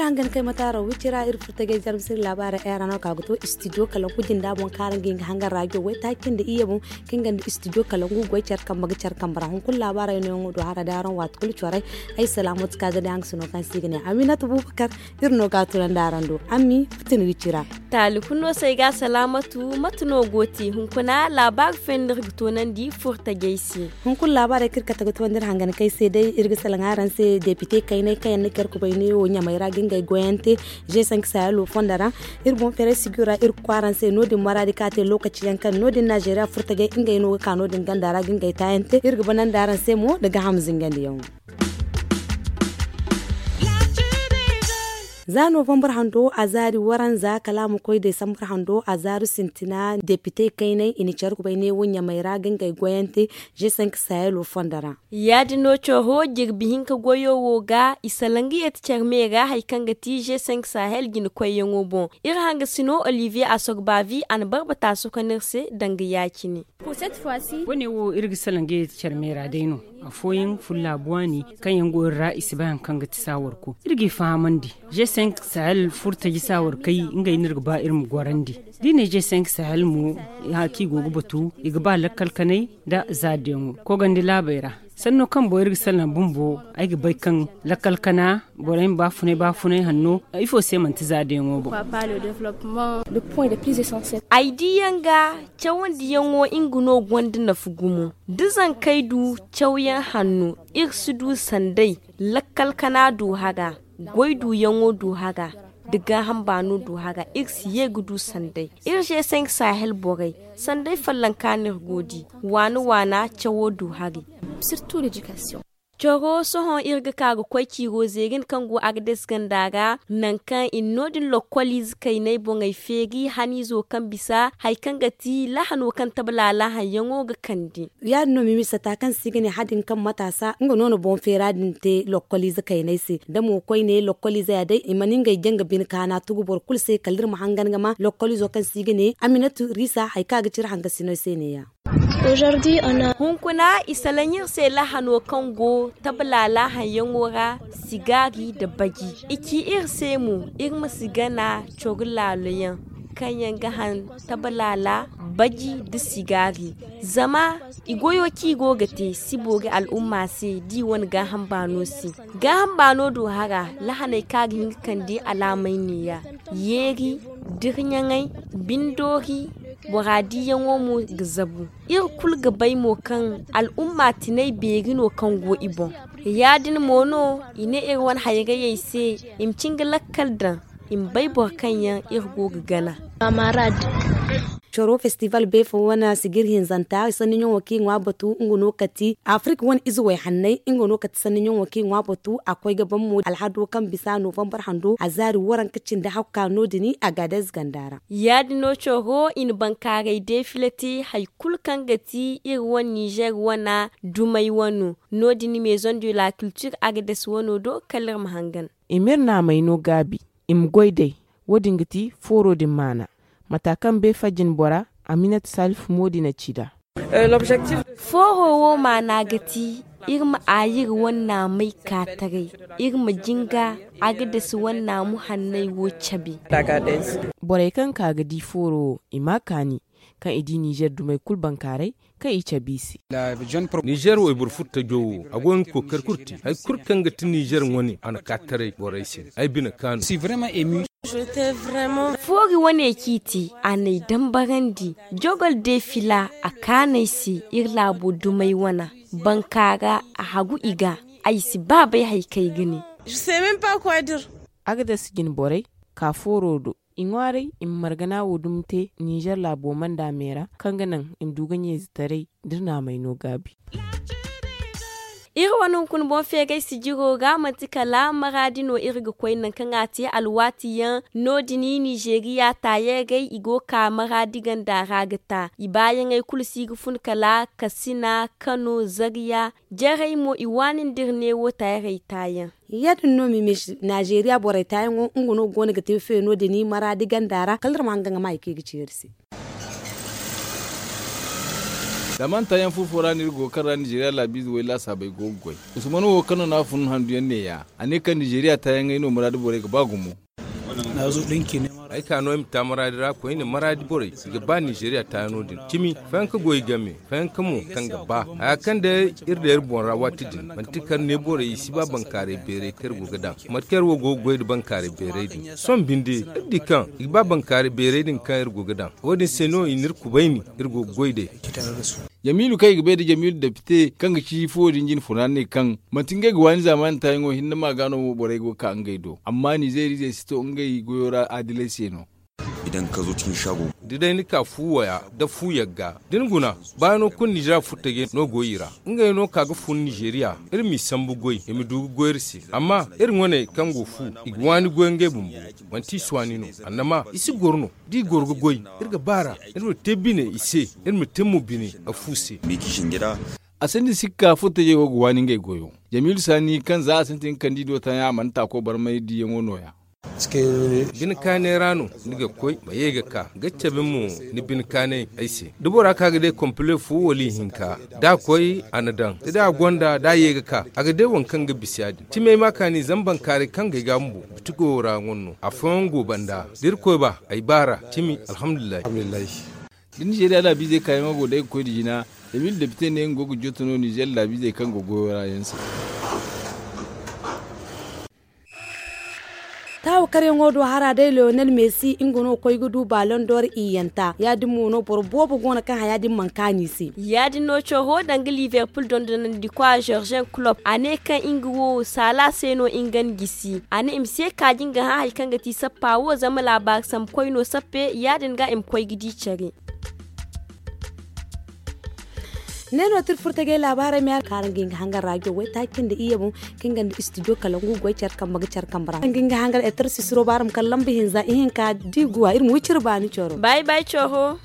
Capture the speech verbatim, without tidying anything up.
Hangan kay mataaro wicira iri furtajey jarmsiri laabaara era no ka ga to istidiyo kalanku jinda boŋ kaara nga nga hangan raajo waytaaci nda iyye boŋ. Kaŋ ganda istidiyo kalangu goy care kambe ga care kambe ra hunkuna laabaarey no yaŋo do hara day araŋ waati kulu corey. Ay salaamatu ka ga day haŋ ga sino kaŋ se i ga ne aminatu bubakar. Iri no ga a tunandi araŋ do ammi. Futin wicira. Taali kulu no se ay ga salaamatu mate no go te hunkuna laabaari fenni iri ga tunandi furtajey se. Hunkuna laabaarey kaŋ iri kate ga tunandi iri hangan kay se day iri ga salaŋ araŋ se depite kayney kaŋ yaŋ na care kubay ne wo ɲamey ra ga ngey goyante. G cinq sahelo fondo ra iri boŋ feeray siguyo ra iri ga koy araŋ se no- din maraadi kaŋ a te lookaci yaŋ kaŋ no- din nazeeriya furtajey ngey no ga ka no- din ganda ra ga ngey taayaŋ te iri ga banandi araŋ se mo nda gaaham zingandiyaŋo. Za novambar hando a zaari waranza kala a ma koy desambar hando a zaaru sintina depite kayney i na care kubay ne wo ɲamey ra ga ngey goyante. G cinq sahelo fondo ra. Ya- din no coro jirbi hinka goyo wo ga i salaŋ ga yeeti care me ra hari kaŋ ga ti g cinq sahel jina koyyaŋo boŋ. Iri hangasino olivier asogbavi a na barbata sohõ kaŋ no iri se danga ya- cine. Wane wo iri ga salaŋ ga yeeti care me ra day no. Afooyaŋ fulla buwaani kaŋ yaŋ go iri ra i si bay hari kaŋ ga ti saawarko iri g'i fahamandi. G cinq sahel furo taji saawarkey ngey no iri ga ba iri ma gorandi. Da i ne g cinq sahel mo, haki i go ga batu i ga ba lakkal kanay nda zaadiyaŋo kogandi laabey ra. Sanno kaŋ boŋ iri ga salaŋ bumbo ay ga bay kaŋ lakkal kana borey ma baafunay baafunay hanno ifo se manti zaadiyaŋo boŋ. Ay diiyaŋ ga cawandiyaŋo nga no gonda nafa gumo da zankey du cawyaŋ hanno iri si du sanday lakkal kana du haga. Goy duyaŋo du haga nda gaaham baano du haga iri si ye ga du sanday. Iri g cinq sahel borey sanday fallanka no iri go di waana waana cawo du hari. Coro sohõ iri ga ka ga koy ciiro zeerin kaŋ go agades ganda ra nangu kaŋ i na no- din lokkoliize kaynay boŋey feeri haniizo kaŋ bisa hari kaŋ ga ti lahano kaŋ tabalala haŋyaŋo ga kande. Ya- din no mimisa ta kaŋ se i ga ne hadin kaŋ mataasa nga no na boŋ feera din te lokkoliize kaynay se da mo koyne lokkoliize ya day i mana ngey jaŋ ga bine kaana tugu boro kulu se kala iri ma hangan ga ma lokkoliizo kaŋ se i ga ne aminatu riisa hari kaŋ a ga cire hangasiney se ne- ya. Hunkuna i salaŋ iri se lahano kaŋ go tabalala haŋyaŋo ra sigaari nda baji. I ci iri se mo iri ma si gana coro laalo yaŋ kaŋ yaŋ ga haŋ tabalala baji nda sigaari. Zama i goyo kaŋ i go ga te si boori al'umma se da i wane gaaham baano se. Gaaham baano do hara lahaney kaŋ a ga hin ga kande alaamey ne- ya yeeri, dirɲaŋey, bindoori, bora diiyaŋo mo ga zabu. Iri kulu ga bay mo kaŋ al'umma tinay beeri no kaŋ go i boŋ. Ya- din mo no i ne iri wane hayrayey se i ma cin ga lakkal daŋ i ma bay boro kaŋ yaŋ iri go ga gana. Coro festival beefo wane sigir hinzanta sanniɲaŋo kaŋ i ŋwa batu nga no kati afirika wane ize wayhannay nga no kati sanniɲaŋo kaŋ i ŋwa batu a koy ga ban mo alhado kaŋ bisa novambar hando a zaari waranka cindi hakka no- din agades ganda ra. Ya- din no coro i na bankaaray defile te hari kulu kaŋ ga ti iri wane nizer wane dumey wano. No- din maison de la culture agades wano do kala iri ma hangan. I m'iri naamay no gaabi i ma goy day. Wo- din ga ti fooro din maana mata kaŋ beefa jinbora aminat salif mo din a ci nd'a. Fooro wo maana ga ti iri ma aayir wane naamay ka taray iri ma jinga agades wane naamu hanney wo cabe. Borey kaŋ ka ga di fooro wo i m'a kaani kaŋ i di nizer dumey kulu bankaaray kaŋ i cabe i se. Nizer wayboro furtajo wo a go ga kookari kulu te hari kulu kaŋ ga ti nizer wane a na ka taray borey se ay bine kaanu. Foori wane kaŋ i te a n'ay dambarandi jogol de fila a kaanu ay se iri laabo dumey wana bankaara a hagu i ga. Ay si ba bay hari kaŋ ay ga ne. Agades jinborey ka fooro do i ŋwaaray i ma margana wo dumi te nizer laabo manda me ra kaŋ ga naŋ i ma du ga ɲeezitaray da iri naamay no gaabi. Iri wane hunkuna boŋ feeray sijiro ga manti kala maraadi no iri ga koy nangu kaŋ a te alwaati yaŋ. No- din nizeriya taayaŋ gay i go ga ka maraadi ganda ra ga ta i baayaŋey kulu si ga fun kala kasina kano zariya jarey mo i waani nda iri neewo taayaŋ. Ya- din no mimi nizeriya borey taayaŋo nga no go no ga te feeno din maraadi ganda ra kala iri ma hangan ga ma hari kaŋ i ga ci iri se. Zama nta yaŋ furfo ra no iri go ga kar ra nizeeriya laabiize way laasaabey go ga goy. Usman wo kaŋ no n'a fun handu yaŋ neeya, a ne kaŋ nizeeriya taayaŋey no muraadu borey ga ba gumo. Ay ka no ay ma ta maraadi ra koyne maraadi borey i ga ba nizeeriya taayano din cimi fayanka goy game fayanka mo kaŋ ga ba haya kaŋ day iri da iri boŋ ra waati din manti kar ne borey i si ba bankaaray beeray kaŋ iri go ga daŋ mate kaŋ iri wo go ga goy nda bankaaray beeray din sohõ binde iri di kaŋ i ga ba bankaaray beeray din kaŋ iri go ga daŋ wo- din se no i na iri kubayni iri go ga goy day. Jamiilu kaŋ i ga bay nda jamiilu depite kaŋ ga ci fuwo din jine funa ne kaŋ manti ngey ga waani zaamaani taayaŋo hinne ma ga no mo borey go ga ka ngey do amma nizeeriizey si to ngey goyo ra adilay se no. Da day ni ka fu waya nda fu yagga da ni guna baano kulu nizeeriya furtajey no go i ra. Ngey no ka ga fun nizeeriya iri m'i sambu goy i ma du ga goy iri se amma iri ŋwaney kaŋ go fu i ga waani goy ngey bumbo. Manti i si waani no annama i si goro no da i goro ga goy iri ga baar'a iri ma te bine i se iri ma te mo bine a fu se. A sinda sikka furtajey wo ga waani ngey goyo. Jamiilu saani kaŋ za a sintin ga kande i do taayaŋ a mana taako barmay diyaŋo nooya. Bine kaanay ra no ni ga koy ma ye ga ka ga cabe mo ni bine kaanay ay se da bora ka ga day kompile fo wala ihinka da a koy a na daŋ da day a gonda da a ye ga ka a ga day waŋ kaŋ ga bisa ya- din cimey ma kaani zama bankaaray kaŋ ga ay ga bumbo biti goyo ra ŋwa no afooyaŋ go banda da irkoy ba ay baar'a cimi alhamdulillahi. Da nizeeriya laabiizey kaayaŋo go day ga koy nda jina. Emil depite ne nga go ga joto no nizeer laabiizey kaŋ go goyo ra yaŋ se. Taawa karyaŋo do hara day leonel messi nga no ga koy ga du balon d'or iyyanta ya- din mo no boro boobo go no kaŋ haya din mana kaanu i se. Ya- din no coro danga liverpool dondonandi kwa jorgen club a ne kaŋ nga wo saala se no nga na gisi a ne i ma se kaaji nga hã hari kaŋ ga ti sappa wo zama laabaari sambu koy no sappe ya- din ga i ma koy ga di care. Ne no tira furtagay laabaarey ma yaŋ kaara nga nga hangar raajo waytaaci nda iyye boŋ kaŋ nga nda studio kala ngu goy care kambe ga care kambe ra nga nga hangar etar sisiro baara ma kala lamba hinza ihinka da i guwa iri ma wi cire baani coro. Bay bay coro.